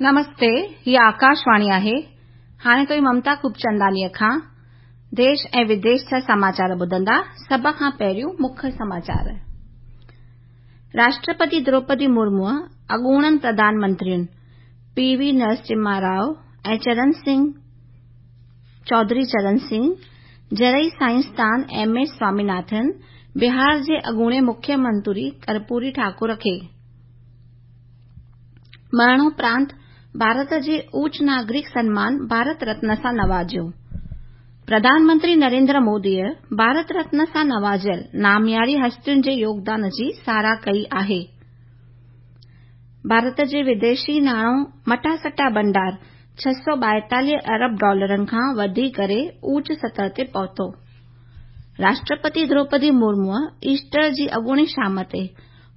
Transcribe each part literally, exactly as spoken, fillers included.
नमस्ते, ही आकाशवाणी आहे। हाणे तुव्हीं ममता खूबचंदानीअ खां देश ऐं विदेश जा समाचार ॿुधंदा। सभ खां पहिरियों मुख्य समाचार। राष्ट्रपति द्रौपदी मुर्मूअ अॻूणनि प्रधानमंत्रियुनि पी वी नरसिम्हा राव ऐं चरण सिंह चौधरी चरण सिंह, ज़रई साइंसदान एम एस स्वामीनाथन, बिहार जे अॻूणे मुख्यमंत्री कर्पूरी ठाकुर खे मरणोपरांत भारत जे ऊच नागरिक सनमान भारत रत्न सां नवाज़ियो। प्रधानमंत्री नरेंद्र मोदीअ भारत रत्न सां नवाज़ियल नामियारी हस्तियुनि जे योगदान जी सराह कई आहे। भारत जे विदेशी नाणो मटासटा भंडार छह सौ ॿाएतालीह अरब डॉलरनि खां वधी करे ऊच सतह ते पहुतो। राष्ट्रपति द्रौपदी मुर्मूअ ईस्टर जी अॻूणी शाम ते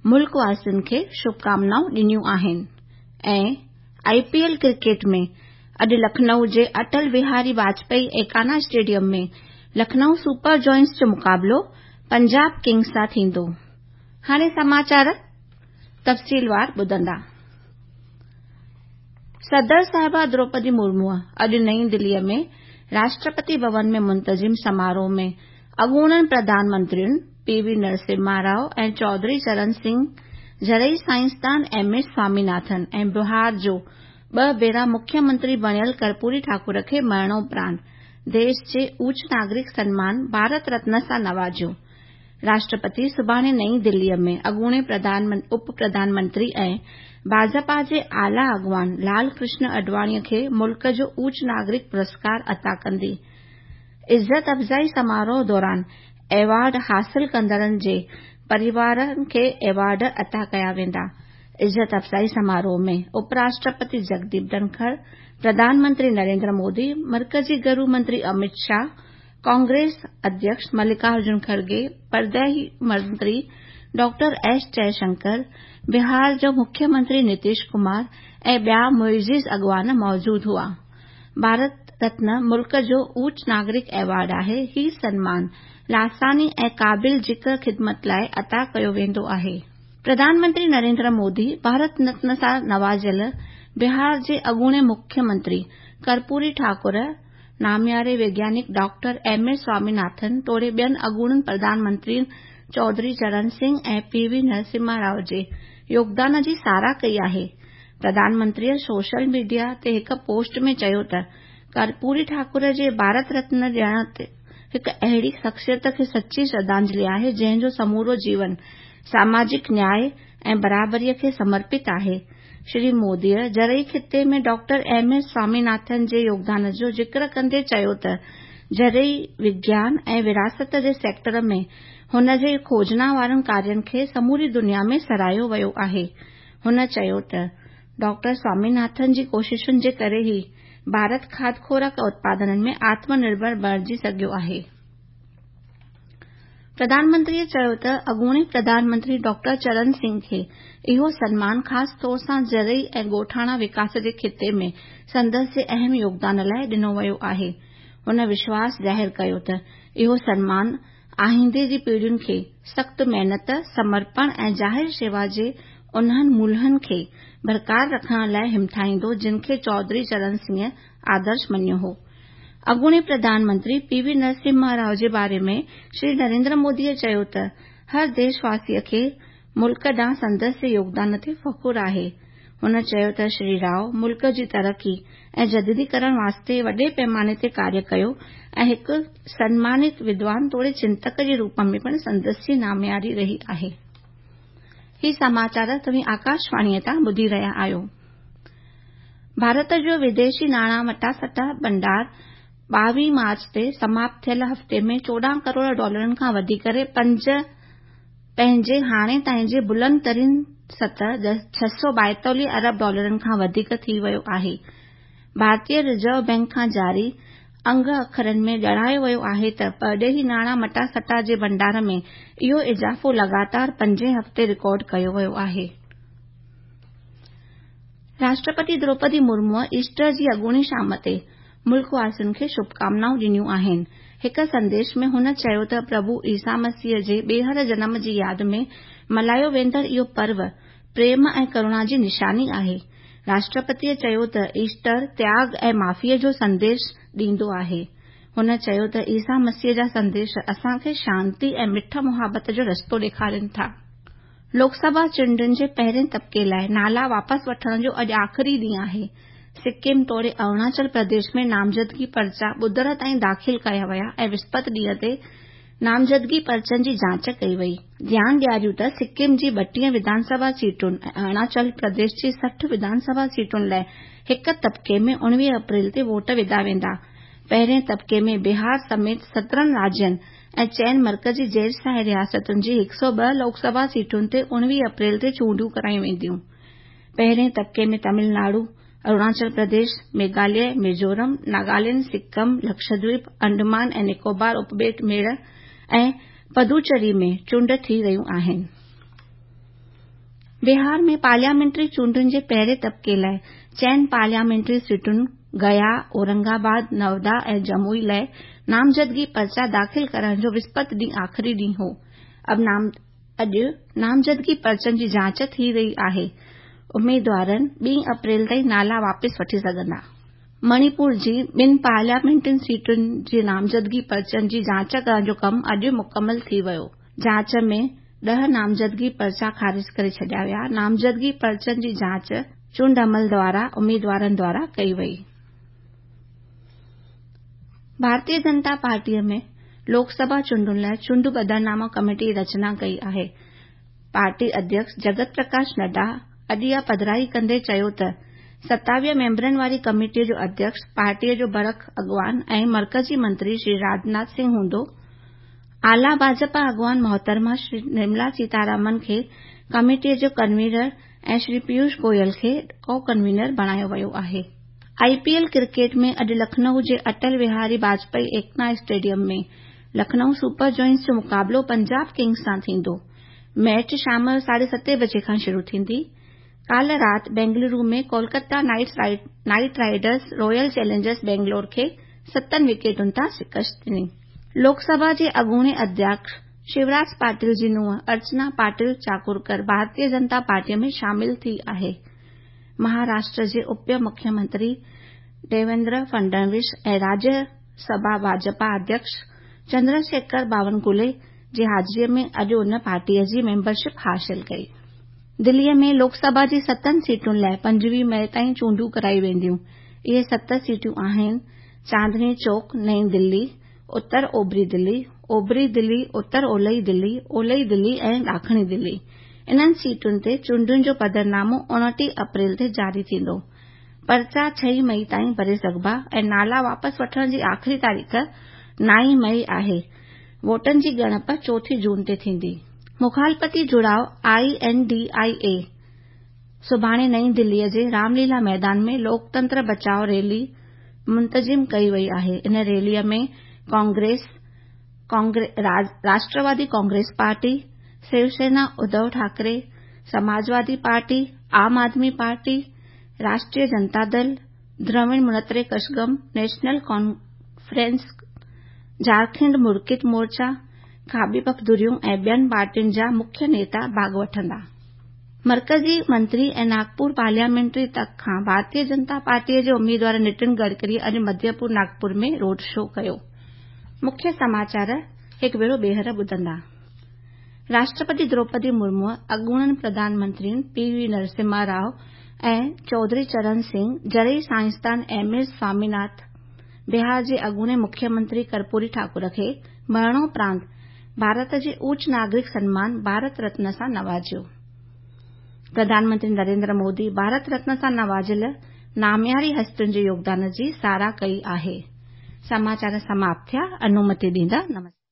मुल्क वासियुनि खे शुभकामनाऊं ॾिनियूं आहिनि ऐं I P L cricket में अॼु लखनऊ जे अटल बिहारी वाजपेयी एकाना स्टेडियम में लखनऊ सुपर जॉयंट्स जो मुक़ाबिलो पंजाब किंग्स सां थींदो। हाणे समाचार तफ़सीलवार ॿुधंदा। सदर साहिबा द्रौपदी मुर्मूअ अॼु नई दिल्लीअ में राष्ट्रपति भवन में मुंतज़िम समारोह में अॻूणनि प्रधानमंत्रियुनि पी वी नरसिम्हा राव ऐं चौधरी चरण सिंह, ज़रई साइंसदान एम एस स्वामीनाथन ऐं बिहार जो ॿ भेरा मुख्यमंत्री बणियल कर्पूरी ठाकुर खे मरणोपरांत देश जे ऊच नागरिक सनमान भारत रत्न सां नवाज़ियो। राष्ट्रपति सुभाणे नई दिल्लीअ में अॻूणे उप प्रधानमंत्री ऐं भाजपा जे आला अॻवान लाल कृष्ण आडवाणीअ खे मुल्क जो ऊच नागरिक पुरस्कार अता कंदी। इज़त अफ़ज़ाई समारोह दौरान अवार्ड हासिल कंदड़नि जे परिवारनि खे अवार्ड अता कया वेंदा। इज़त अफ़ज़ाई समारोह में उपराष्ट्रपति जगदीप धनखड़, प्रधानमंत्री नरेंद्र मोदी, मर्कज़ी गृह मंत्री अमित शाह, कांग्रेस अध्यक्ष मल्लिकार्जुन खड़गे, परॾेही मंत्री डॉक्टर एस जयशंकर, बिहार जो मुख्यमंत्री नीतीश कुमार ऐं ॿिया मुइज़िज़ अॻवान मौजूद हुआ। भारत रत्न मुल्क जो ऊच नागरिक अवार्ड आहे। ही सनमान लासानी ऐं क़ाबिल ज़िक्र ख़िदमत लाइ अता कयो वेंदो आहे। प्रधानमंत्री नरेंद्र मोदी भारत रत्न सां नवाज़ियल बिहार जे अॻूणे मुख्यमंत्री कर्पूरी ठाकुर, नामियारे वैज्ञानिक डॉक्टर एम एस स्वामीनाथन तोड़े ॿियनि अॻूणनि प्रधानमंत्रियुनि चौधरी चरण सिंह ऐं पी वी नरसिम्हा राव जे योगदान जी सराह कई आहे। प्रधानमंत्रीअ सोशल मीडिया ते हिकु पोस्ट में चयो त कर्पूरी ठाकुर जे भारत रत्न ॾियण हिकु अहिड़ी शख़्सियत खे सची श्रद्धांजलि आहे जंहिंजो समूरो जीवन सामाजिक न्याय ऐं बराबरीअ खे समर्पित आहे। श्री मोदीअ ज़रई ख़िते में डॉक्टर एम एस स्वामीनाथन जे योगदान जो ज़िक्र कंदे चयो त ज़रई विज्ञान ऐं विरासत जे सेक्टर में हुन जे खोजना वारनि कार्यनि खे समूरी दुनिया में सराहियो वियो आहे। हुन चयो त डॉक्टर स्वामीनाथन जी कोशिशुनि जे करे ई भारत खाद्य खुराक उत्पादननि में आत्मनिर्भर बणिजी सघियो आहे। प्रधानमंत्रीअ चयो त अॻूणे प्रधानमंत्री डॉक्टर चरण सिंह खे इहो सनमान ख़ासि तौर सां ज़रई ऐं ॻोठाणा विकास जे ख़िते में संदसि जे अहम योगदान लाइ ॾिनो वियो आहे। हुन विश्वास ज़ाहिर कयो त इहो सनमान आईंदे जी पीढ़ियुनि खे सख़्त महिनत, समर्पण ऐं ज़ाहिर शेवा जे उन्हनि मूल्यनि खे बरक़रार रखण लाइ हिमठाईंदो जिन खे चौधरी चरण सिंह आदर्श मञियो हो। अॻूणे प्रधानमंत्री पी वी नरसिम्हा राव जे बारे में श्री नरेंद्र मोदीअ चयो त हर देशवासीअ खे मुल्क ॾांहुं संदसि जे योगदान ते फ़ख़ुरु आहे। हुन चयो त श्री राव मुल्क जी तरक़ी ऐं जदीदीकरण वास्ते वॾे पैमाने ते कार्य कयो ऐं हिकु सनमानित विद्वान तोड़े चिंतक जे रूप में पिणु संदसि जी नामियारी रही आहे। ही समाचार तव्हीं आकाशवाणीअ तां ॿुधी रहिया आहियो। भारत जो विदेशी नाणा मटासटा भंडार ॿावीह मार्च ते समाप्त थियल हफ़्ते में चोॾहं करोड़ डॉलरनि खां वधी करे पंज पंहिंजे हाणे ताईं जे बुलंद तरीन सतह छह सौ ॿाएतालीह अरब डॉलरनि खां वधीक थी वियो आहे। भारतीय रिज़र्व बैंक खां जारी अंग अखरनि में ॼाणायो वियो आहे त परॾेही नाणा मटासटा जे भंडार में इहो इज़ाफ़ो लगातार पंजें हफ़्ते रिकॉर्ड कयो वियो आहे। राष्ट्रपति द्रौपदी मुर्मूअ ईस्टर जी अॻूणी शाम ते मुल्क वासियुनि खे शुभकामनाऊं ॾिनियूं आहिनि। हिकु संदेश में हुन चयो त प्रभु ईसा मसीह जे ॿीहर जनम जी यादि में मल्हायो वेंदड़ इहो पर्व प्रेम ऐं करुणा जी निशानी आहे। راشٽرپتيءَ چيو ته ايسٽر تياڳ ۽ معافيءَ جو سنديش ڏيندو آهي. هن چيو ته عيسيٰ مسيح جا سنديش اسان کي شانتي ۽ مٺ محبت جو رستو ڏيکارين ٿا. لوڪ سڀا چونڊن جي پهرين طبقي لاءِ نالا واپس وٺڻ جو اڄ آخري ڏينهن آهي. سڪم توڙي اروناچل پرديش ۾ نامزدگي پرچا ٻڌر تائين داخل ڪيا ويا ۽ وسپت ڏينهن تي نامزدگي پرچن جي جاچ ڪئي وئي. ڌيان ڏياريون ته سڪم جي ٻٽيهه وڌان سڀا سيٽن ۽ اروناچل پرديش جي سٺ وڌان سڀا سيٽن لاءِ هڪ طبقي ۾ اڻويهه اپريل تي ووٽ وڌا ويندا. پهرين طبقي ۾ بهار سميت سترهن راجين ۽ چئن مرڪزي زير شاهي رياستن جي هڪ سؤ ٻه لوڪ سڀا سيٽن تي اڻويهه اپريل تي چونڊون ڪرايون وينديون. پهرين طبقي ۾ تامل ناڊو، اروناچل پرديش، ميگهاليه، ميزورم، ناگالينڊ، سڪم، لڪشدويپ، انڊمان ۽ نڪوبار اپٻيٽ ميڙ ۽ پدوچيري ۾ چونڊ ٿي رهيون آهن. بهار ۾ پارليامينٽري چونڊن جي پهرين طبقي لاءِ چئن پارليامينٽري سيٽن گيا، اورنگ آباد، نودا ۽ جموئي لاءِ نامزدگي پرچا داخل ڪرڻ جو وسپت ڏينهن آخري ڏينهن هو. اڄ نامزدگي پرچن جي جاچ ٿي رهي آهي. اميدوارن ٻه اپريل تائين نالا واپس وٺي سگهندا. مڻيپور جي ٻن پارليامينٽري سيٽن جي نامزدگي پرچن جي جاچ ڪرڻ جو ڪم اڄ مڪمل ٿي ويو. جاچ ۾ ڏهه نامزدگي پرچا خارج ڪري ڇڏيا ويا. نامزدگي پرچن جي جاچ چونڊ عمل دوارا اميدوارن دوارا ڪئي وئي. ڀارتيه جنتا پارٽيءَ ۾ لوڪ سڀا چونڊن لاءِ چونڊ پڌرناما ڪميٽي جي رچنا ڪئي آهي. پارٽي اڌيڪش جگت پرڪاش نڊا اڄ اها پڌرائي ڪندي چيو ته ستاويهه ميمبرن واري ڪميٽيءَ جو اڌيڪش پارٽيءَ جو برک اڳواڻ ۽ مرڪزي منتري شري راجناٿ سنگهه هوندو. اعليٰ ڀاجپا اڳواڻ محترمه شري نرملا سيتارامن کي ڪميٽيءَ جو ڪنوينر ۽ شري پيوش گويل کي ڪو ڪنوينر بڻايو ويو آهي. آئي پي ايل ڪرڪيٽ ۾ اڄ لکنؤ جي اٽل وهاري Bajpai ايڪنا stadium ۾ Lucknow super giants جو مقابلو پنجاب ڪنگز سان ٿيندو. ميچ شام جو ساڍي ستين بجي کان شروع ٿيندي. ڪالهه رات Bengaluru ۾ Kolkata Knight Riders Royal Challengers Bangalore کي ستن وڪيٽن تان شڪست ڏني. لوڪ سڀا جي اڳوڻي اڌيڪش شيوراج پاٽيل جي ننهن ارچنا پاٽيل چاڪورڪر ڀارتيه جنتا پارٽيءَ ۾ شامل ٿي آهي. مهاراشٽر جي اپ مکيه منتري ديويندر فڊنويس ۽ راجيه سڀا ڀاجپا اڌيڪش چندرشيکر باونڪلي جي حاضريءَ ۾ اڄ ان پارٽيءَ جي ميمبرشپ حاصل ڪئي. دليءَ ۾ لوڪ سڀا جي ستن سيٽن لاءِ پنجويهه مئي تائين چونڊون ڪرايون وينديون. اهي ست سيٽون آهن چاندني چوڪ نئين دلي، اتر اوڀري دلي، اوڀري دلي، اتر اولهي دلي، اولهي دلي ۽ ڏاکڻي دلي. انهن سيٽن تي چونڊن جو پڌرنامو اڻٽيهه اپريل تي جاري ٿيندو. پرچا ڇهه مئي تائين ڀري سگهبا ۽ نالا واپس وٺڻ جي آخري تاريخ نائين مئي آهي. ووٽن جي ڳڻپ چوٿين جون تي ٿيندي. مخالفتي جڙاءُ I N D I اي سڀاڻي نئين دليءَ جي رامليلا ميدان ۾ لوڪتنتر بچاءُ ريلي منتظم ڪئي وئي آهي. ان ريليءَ ۾ ڪانگريس، راشٽروادي ڪانگريس پارٽي، شيوسينا اڌو ٺاڪري، سماجوادي پارٽي، عام آدمي پارٽي، راشٽريه جنتا دل، دراوڙ منيتر ڪشگم، نيشنل ڪانفرنس، جهارکنڊ مڪتي مورچا، کاٻي پک ڌريون ۽ ٻين پارٽين جا مکيه نيتا ڀاڳ وٺندا. مرڪزي منتري ۽ ناگپور پارليامينٽري تڪ کان ڀارتيه جنتا پارٽيءَ جي اميدوار نتن گڊڪري اڄ مڌيپور ناگپور ۾ روڊ شو ڪيو. مکيه سماچار هڪ ڀيرو ٻيهر ٻڌندا. راشٽرپتي دروپدي مرمو اڳوڻن پرڌان منترين پي وي نرسمها رائو ۽ چوڌري چرن سنگهه، زرعي سائنسدان ايم ايس سواميناٿن، بهار جي اڳوڻي مکيه منتري ڪرپوري ٺاڪر کي مرڻوپرانت ڀارت جي اوچ ناگرڪ سنمان ڀارت رتن سان نوازيو. پرڌان منتري نريندر مودي ڀارت رتن سان نوازيل نامياري هستين جي يوگدان جي ساراهه ڪئي آهي. سماچار سماپت ٿيا. انومتي ڏيندا. نمسڪار.